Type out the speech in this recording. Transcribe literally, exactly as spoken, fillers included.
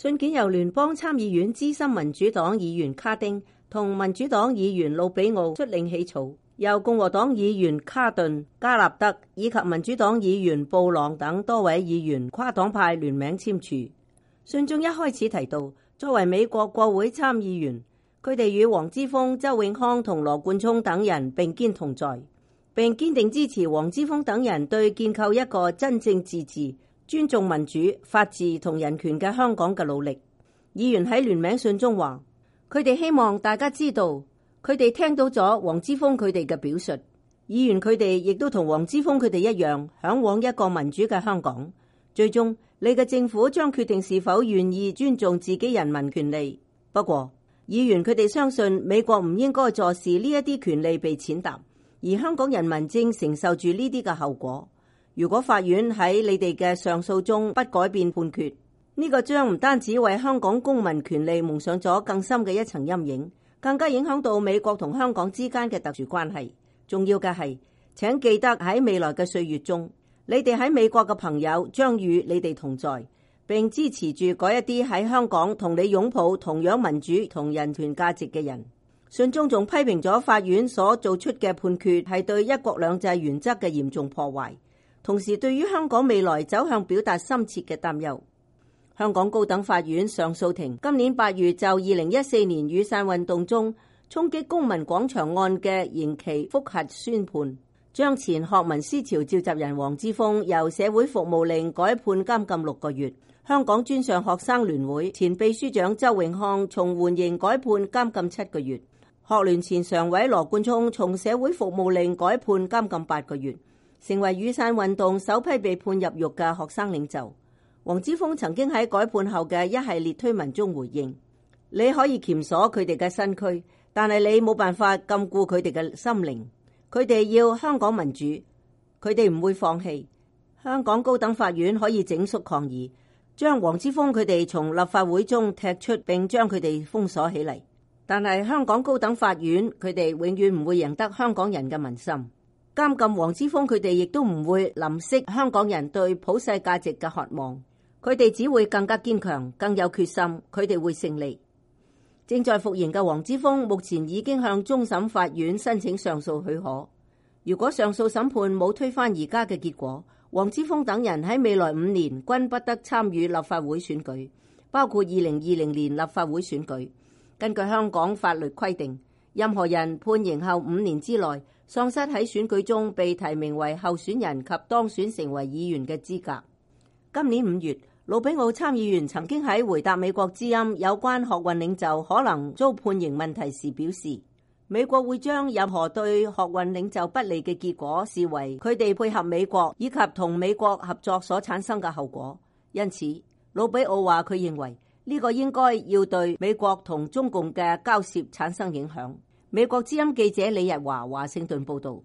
信件由聯邦參議院資深民主黨議員卡丁同民主黨議員魯比奧率領起草，由共和黨議員卡頓、加納德以及民主黨議員布朗等多位議員跨黨派聯名簽署。信中一開始提到，作為美國國會參議員，佢哋與黃之鋒、周永康同羅冠聰等人並肩同在，並堅定支持黃之鋒等人對建構一個真正自治、尊重民主、法治同人權嘅香港嘅努力。議員喺聯名信中話，佢哋希望大家知道，佢哋聽到咗黃之鋒佢哋嘅表述。議員佢哋亦都同黃之鋒佢哋一樣，嚮往一個民主嘅香港。最終，你嘅政府將決定是否願意尊重自己人民權利。不過，議員佢哋相信美國唔應該坐視呢一啲權利被踐踏，而香港人民正承受住呢啲嘅後果。如果法院喺你哋嘅上訴中不改變判決，呢個將唔單止為香港公民權利蒙上咗更深嘅一層陰影，更加影響到美國同香港之間嘅特殊關係。重要嘅係，請記得喺未來嘅歲月中，你哋喺美國嘅朋友將與你哋同在，並支持住嗰一啲喺香港同你擁抱同樣民主同人權價值嘅人。信中仲批評咗法院所做出嘅判決係對一國兩制原則嘅嚴重破壞，同時對於香港未來走向表達深切嘅擔憂。香港高等法院上訴庭今年八月就二零一四年雨傘運動中衝擊公民廣場案嘅刑期覆核宣判，將前學民思潮召集人黃之鋒由社會服務令改判監禁六個月。香港專上學生聯會前秘書長周永康從緩刑改判監禁七個月。學聯前常委羅冠聰從社會服務令改判監禁八個月，成為雨傘運動首批被判入獄嘅學生領袖。黃之鋒曾經喺改判後嘅一系列推文中回應，你可以鉗鎖佢哋嘅身軀，但係你冇辦法禁錮佢哋嘅心靈。佢哋要香港民主，佢哋唔會放棄。香港高等法院可以整肅抗議，將黃之鋒佢哋從立法會中踢出，並將佢哋封鎖起嚟。但係香港高等法院佢哋永遠唔會贏得香港人嘅民心。監禁黃之鋒佢哋亦都唔會淋熄香港人對普世價值嘅渴望。佢哋只會更加堅強，更有決心。佢哋會勝利。正在服刑嘅黃之鋒目前已經向終審法院申請上訴許可。如果上訴審判冇推翻而家嘅結果，黃之鋒等人喺未來五年均不得參與立法會選舉，包括二零二零年立法會選舉。根據香港法律規定，任何人判刑後五年之內喪失喺選舉中被提名為候選人及當選成為議員嘅資格。今年五月，魯比奧參議員曾經喺回答美國之音有關學運領袖可能遭判刑問題時表示，美國會將任何對學運領袖不利嘅結果視為佢哋配合美國以及同美國合作所產生嘅後果。因此，魯比奧話佢認為呢個應該要對美國同中共嘅交涉產生影響。美國之音記者李日華華盛頓報道。